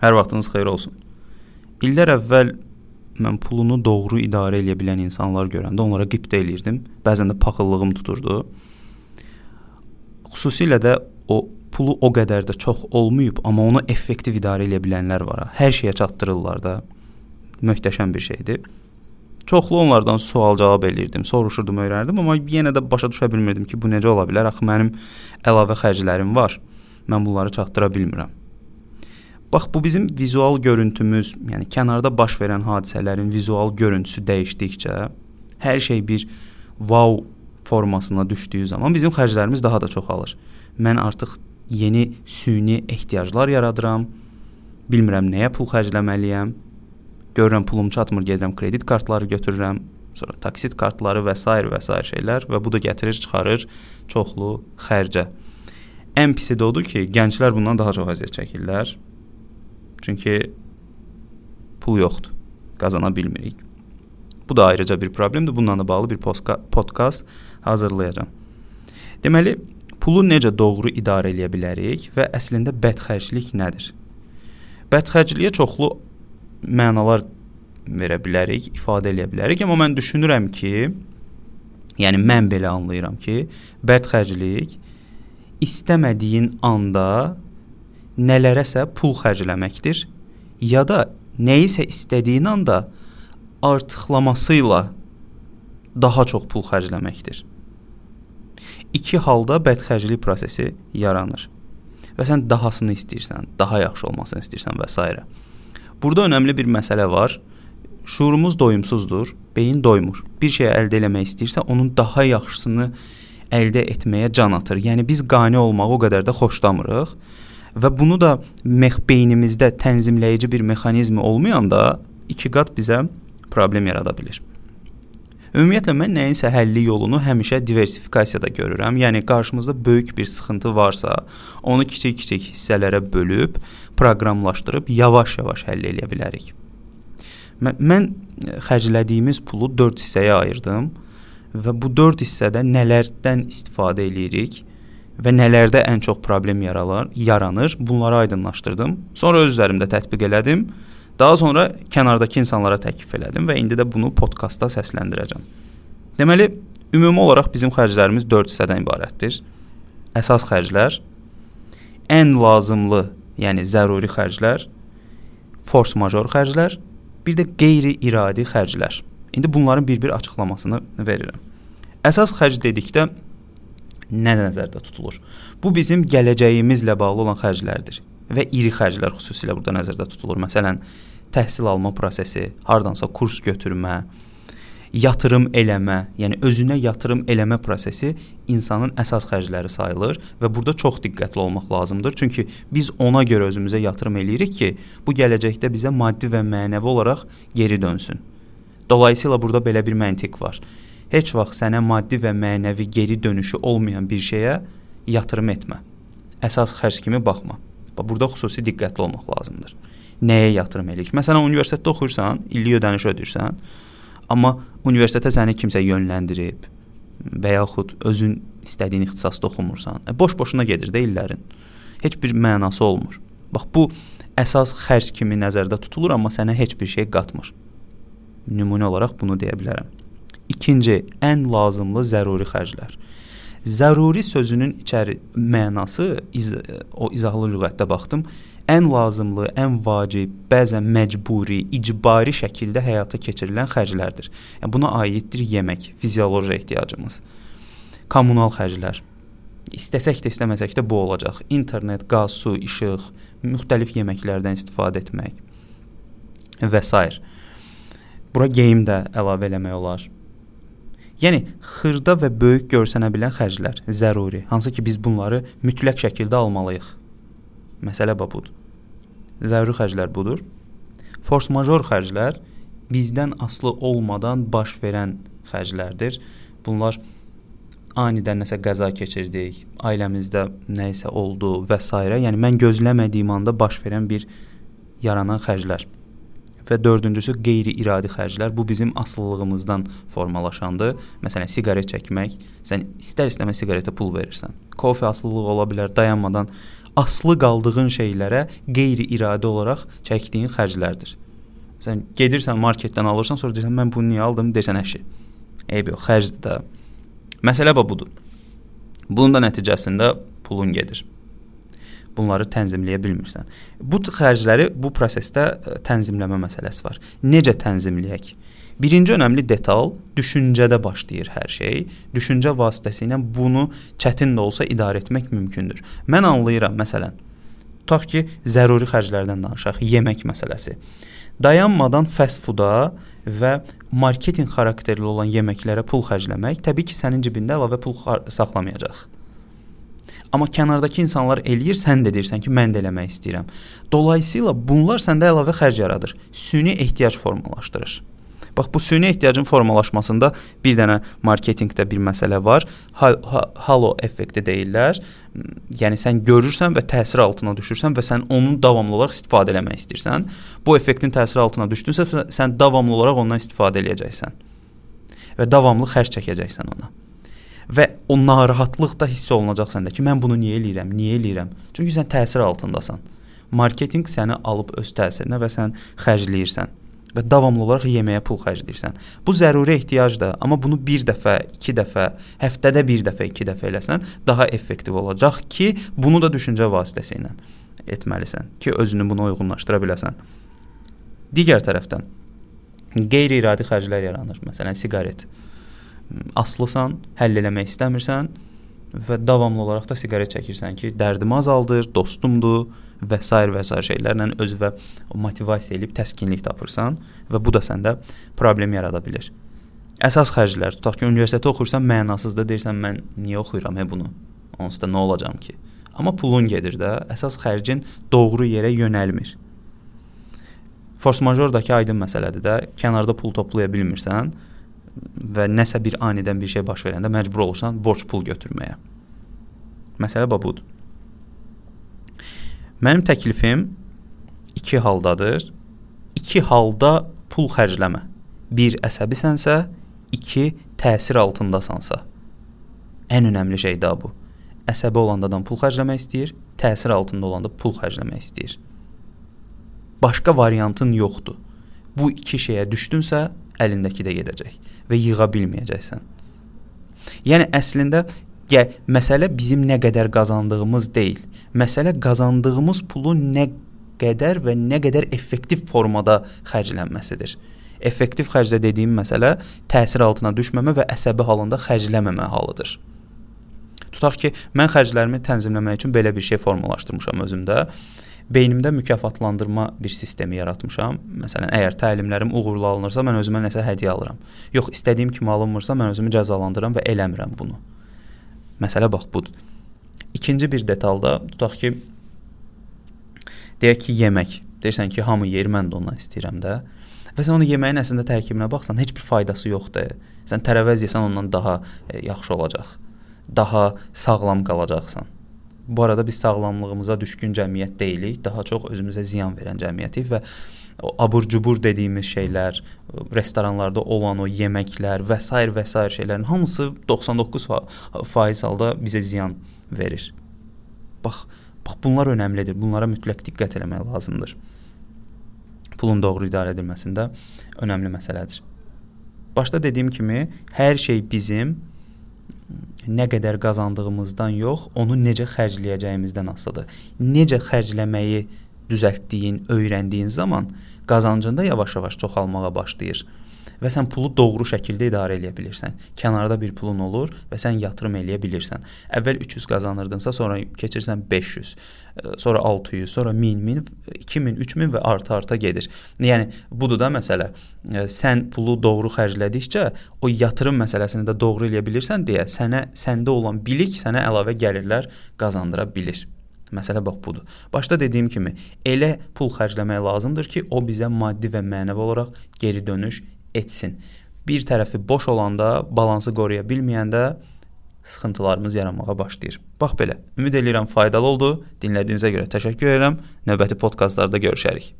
Hər vaxtınız xeyir olsun. İllər əvvəl mən pulunu doğru idarə edə bilən insanlar görəndə onlara qibtə eləyirdim. Bəzən də paxıllığım tuturdu. Xüsusilə də o pulu o qədər də çox olmayıb, amma onu effektiv idarə edə bilənlər var. Hər şeyə çatdırırlar da. Möhtəşəm bir şeydir. Çoxlu onlardan sual-cavab eləyirdim, soruşurdum, öyrənirdim, amma yenə də başa düşə bilmirdim ki, bu necə ola bilər? Axı mənim əlavə xərclərim var. Mən bunları çatdıra bilmirəm. Bax, bu bizim vizual görüntümüz, yəni kənarda baş verən hadisələrin vizual görüntüsü dəyişdikcə, hər şey bir wow formasına düşdüyü zaman bizim xərclərimiz daha da çoxalır. Mən artıq yeni süni ehtiyaclar yaradıram, bilmirəm nəyə pul xərcləməliyəm, görürəm pulum çatmır, gedirəm kredit kartları götürürəm, sonra taksit kartları və s. şeylər və bu da gətirir, çıxarır çoxlu xərcə. Ən pisi də odur ki, gənclər bundan daha çox əziyyət çəkirlər. Çünki pul yoxdur, qazana bilmirik. Bu da ayrıca bir problemdir. Bununla da bağlı bir podkast hazırlayacağam. Deməli, pulu necə doğru idarə edə bilərik və əslində bədxərclik nədir? Bədxərcliyə çoxlu mənalar verə bilərik, ifadə edə bilərik, amma mən düşünürəm ki, yəni mən belə anlayıram ki, bədxərclik istəmədiyin anda nələrəsə pul xərcləməkdir ya da nəyisə istədiyin anda artıqlamasıyla daha çox pul xərcləməkdir. İki halda bədxərclik prosesi yaranır və sən dahasını istəyirsən, daha yaxşı olmasını istəyirsən və s. Burada önəmli bir məsələ var. Şuurumuz doyumsuzdur, beyin doymur. Bir şey əldə eləmək istəyirsə, onun daha yaxşısını əldə etməyə can atır. Yəni biz qane olmağı o qədər də xoşlamırıq. Və bunu da beynimizdə tənzimləyici bir mexanizmi olmayanda 2 qat bizə problem yarada bilir. Ümumiyyətlə, mən nəyinsə həlli yolunu həmişə diversifikasiyada görürəm. Yəni, qarşımızda böyük bir sıxıntı varsa, onu kiçik-kiçik hissələrə bölüb, proqramlaşdırıb, yavaş-yavaş həll edə bilərik. Mən xərclədiyimiz pulu 4 hissəyə ayırdım və bu 4 hissədə nələrdən istifadə edirik və nələrdə ən çox problem yaranır, bunları aydınlaşdırdım. Sonra öz üzərimdə tətbiq elədim. Daha sonra kənardakı insanlara təklif elədim və indi də bunu podkastda səsləndirəcəm. Deməli, ümumi olaraq bizim xərclərimiz 4 hissədən ibarətdir. Əsas xərclər, ən lazımlı, yəni zəruri xərclər, force major xərclər, bir də qeyri-iradi xərclər. İndi bunların bir-bir açıqlamasını verirəm. Əsas xərc dedikdə nə nəzərdə tutulur? Bu bizim gələcəyimizlə bağlı olan xərclərdir və iri xərclər xüsusilə burada nəzərdə tutulur. Məsələn, təhsil alma prosesi, hardansa kurs götürmə, yatırım eləmə, yəni özünə yatırım eləmə prosesi insanın əsas xərcləri sayılır və burada çox diqqətli olmaq lazımdır. Çünki biz ona görə özümüzə yatırım eləyirik ki, bu gələcəkdə bizə maddi və mənəvi olaraq geri dönsün. Dolayısıyla burada belə bir məntiq var. Heç vaxt sənə maddi və mənəvi geri dönüşü olmayan bir şeyə yatırım etmə. Əsas xərc kimi baxma. Burada xüsusi diqqətli olmaq lazımdır. Nəyə yatırım eləyirik? Məsələn, universitetdə oxuyursan, illik ödəniş ödəyirsən, amma universitetə səni kimsə yönləndirib və yaxud özün istədiyin ixtisasda oxumursan, boş-boşuna gedir də illərin. Heç bir mənası olmur. Bax, bu əsas xərc kimi nəzərdə tutulur, amma sənə heç bir şey qatmır. Nümunə olaraq bunu deyə bilərəm. İkinci, ən lazımlı zəruri xərclər. Zəruri sözünün mənası, o izahlı lüğətdə baxdım, ən lazımlı, ən vacib, bəzən məcburi, icbari şəkildə həyata keçirilən xərclərdir. Yəni, buna aiddir yemək, fizioloji ehtiyacımız. Kommunal xərclər. İstəsək də, istəməsək də bu olacaq. İnternet, qaz, su, işıq, müxtəlif yeməklərdən istifadə etmək və s. Bura geyim də əlavə eləmək olar. Yəni, xırda və böyük görsənə bilən xərclər, zəruri, hansı ki biz bunları mütləq şəkildə almalıyıq. Məsələ budur. Zəruri xərclər budur. Force major xərclər bizdən asılı olmadan baş verən xərclərdir. Bunlar anidən nəsə qəza keçirdik, ailəmizdə nəyisə oldu və s. Yəni, mən gözləmədiyim anda baş verən bir yaranan xərclər. Və dördüncüsü qeyri-iradi xərclər. Bu bizim asıllığımızdan formalaşandır. Məsələn, siqaret çəkmək. Sən istər-istəməz siqaretə pul verirsən. Kofe asılılığı ola bilər, dayanmadan aslı qaldığın şeylərə qeyri-iradi olaraq çəkdiyin xərclərdir. Sən gedirsən marketdən alırsan, sonra deyirsən mən bunu niyə aldım, deyirsən əşi. Eyb yox, xərcdir də. Məsələ budur. Bunun da nəticəsində pulun gedir. Bunları tənzimləyə bilmirsən. Bu xərcləri bu prosesdə tənzimləmə məsələsi var. Necə tənzimləyək? Birinci önəmli detal düşüncədə başlayır hər şey. Düşüncə vasitəsilə bunu çətin də olsa idarə etmək mümkündür. Mən anlayıram, məsələn, tutaq ki, zəruri xərclərdən danışaq, yemək məsələsi. Dayanmadan fast fooda və marketinq xarakterli olan yeməklərə pul xərcləmək təbii ki, sənin cibində əlavə pul saxlamayacaq. Amma kənardakı insanlar eləyir, sən də deyirsən ki, mən də eləmək istəyirəm. Dolayısıyla bunlar səndə əlavə xərc yaradır. Süni ehtiyac formalaşdırır. Bax, bu süni ehtiyacın formalaşmasında bir dənə marketinqdə bir məsələ var. Halo effekti deyirlər. Yəni sən görürsən və təsir altına düşürsən və sən onun davamlı olaraq istifadə etmək istəyirsən. Bu effektin təsiri altına düşdünsə, sən davamlı olaraq ondan istifadə edəcəksən. Və davamlı xərc çəkəcəksən ona. Və o narahatlıq da hiss olunacaq səndə ki, mən bunu niyə eləyirəm? Çünki sən təsir altındasan. Marketinq səni alıb öz təsirinə və sən xərcləyirsən. Və davamlı olaraq yeməyə pul xərcləyirsən. Bu zəruri ehtiyacdır, amma bunu bir dəfə, 2 dəfə, həftədə bir dəfə, 2 dəfə eləsən, daha effektiv olacaq ki, bunu da düşüncə vasitəsi ilə etməlisən ki, özünü buna uyğunlaşdıra biləsən. Digər tərəfdən, qeyri-iradi xərclər yaranır. Məsələn, siqaret. Aslısan, həll eləmək istəmirsən və davamlı olaraq da siqaret çəkirsən ki, dərdimi azaldır, dostumdur və s. şeylərlə özünə motivasiya edib təskinlik tapırsan və bu da səndə problem yarada bilər. Əsas xərclər, tutaq ki, universitetdə oxuyursan, mənasızda deyirsən, mən niyə oxuyuram bunu? Onsuz da nə olacam ki? Amma pulun gedir də, əsas xərcin doğru yerə yönəlmir. Force majeurdakı aydın məsələdir də, kənarda pul toplaya bilmirsən və nəsə bir anidən bir şey baş verəndə məcbur olursan borc pul götürməyə. Məsələ budur. Mənim təklifim 2 haldadır. 2 halda pul xərcləmə. 1 əsəbisənsə, 2 təsir altındasansa. Ən önəmli şey də bu. Əsəbi olanda adam pul xərcləmək istəyir, təsir altında olanda pul xərcləmək istəyir. Başqa variantın yoxdur. Bu 2 şeyə düşdünsə, əlindəki də gedəcək və yığa bilməyəcəksən. Yəni əslində məsələ bizim nə qədər qazandığımız deyil. Məsələ qazandığımız pulu nə qədər və nə qədər effektiv formada xərclənməsidir. Effektiv xərclə dediyim məsələ təsir altına düşməmə və əsəbi halında xərcləməmə halıdır. Tutaq ki, mən xərclərimi tənzimləmək üçün belə bir şey formalaşdırmışam özümdə. Beynimdə mükafatlandırma bir sistemi yaratmışam. Məsələn, əgər təlimlərim uğurlu alınırsa, mən özümə nəsə hədiyyə alıram. Yox, istədiyim kimi alınmırsa, mən özümü cəzalandıram və eləmirəm bunu. Məsələ bax budur. İkinci bir detalda, tutaq ki, deyək ki, yemək. Deyirsən ki, hamı yer, mən də ondan istəyirəm də. Və sən onu yeməyin əslində tərkibinə baxsan, heç bir faydası yoxdur. Sən tərəvəz yesən ondan daha yaxşı olacaq. Daha sağlam qalacaqsan. Bu arada biz sağlamlığımıza düşkün cəmiyyət deyilik, daha çox özümüzə ziyan verən cəmiyyətik və o abur-cubur dediyimiz şeylər, restoranlarda olan o yeməklər və s. şeylərin hamısı 99% halda bizə ziyan verir. Bax bunlar önəmlidir. Bunlara mütləq diqqət eləmək lazımdır. Pulun doğru idarə edilməsində önəmli məsələdir. Başda dediyim kimi, hər şey bizim nə qədər qazandığımızdan yox, onu necə xərcləyəcəyimizdən asılıdır. Necə xərcləməyi düzəltdiyin, öyrəndiyin zaman qazancında yavaş-yavaş çoxalmağa başlayır və sən pulu doğru şəkildə idarə edə bilirsən. Kənarda bir pulun olur və sən yatırım eləyə bilirsən. Əvvəl 300 qazanırdınsa, sonra keçirsən 500, sonra 600, sonra 1000, 2000, 3000 və arta gedir. Yəni budur da məsələ. Sən pulu doğru xərclədikcə o yatırım məsələsini də doğru eləyə bilirsən deyə səndə olan bilik sənə əlavə gəlirlər qazandıra bilir. Məsələ bax budur. Başda dediyim kimi, elə pul xərcləmək lazımdır ki, o bizə maddi və mənəvi olaraq geri dönüş etsin. Bir tərəfi boş olanda, balansı qoruya bilməyəndə sıxıntılarımız yaranmağa başlayır. Bax belə. Ümid edirəm faydalı oldu. Dinlədiyinizə görə təşəkkür edirəm. Növbəti podkastlarda görüşərik.